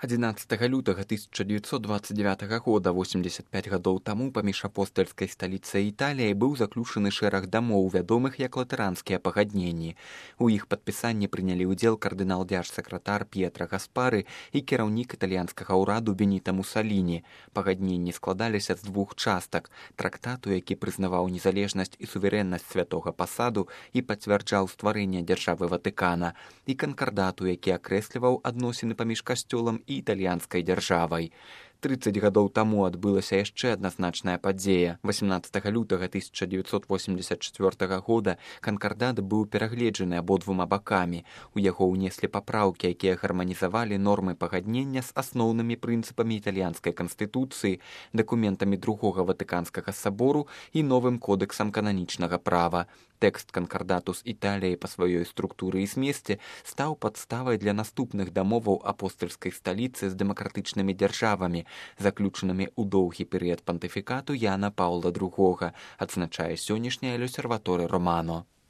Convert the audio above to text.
11 лютага 1929 года, 85 гадоў таму, паміж апостальскай сталіцай Італіяй быў заключаны шэраг дамоў, вядомых як латаранскія пагадненні. У іх падпісанні прынялі ўдзел кардынал-дзярж-сакратар П'етра Гаспары і кіраўнік італьянскага ўраду Беніта Мусаліні. Пагадненні складаліся з двух частак: трактату, які прызнаваў незалежнасць і суверэннасць святога пасаду і пацвярджаў стварэнне дзяржавы Ватыкана, і канкардату, які акрэсліваў адносіны паміж касцёлам і італьянскай дзяржавай. 30 гадоў таму адбылася яшчэ адна значная падзея. 18 лютага 1984 года канкардат быў перагледжаны абодвума бакамі. У яго ўнеслі папраўкі, якія гарманізавалі нормы пагаднення з асноўнымі прынцыпамі італьянскай канстытуцыі, дакументамі другога Ватыканскага сабору і новым кодэксам кананічнага права. Тэкст канкардату з Італіяй па сваёй структуры і змесце стаў падставай для наступных дамоваў апостальскай сталіцы з дэмакратычнымі дзяржавамі, заключанымі ў доўгі перыяд пантыфікату Яна Паўла II, адзначае сённяшняя L'Osservatore Romano.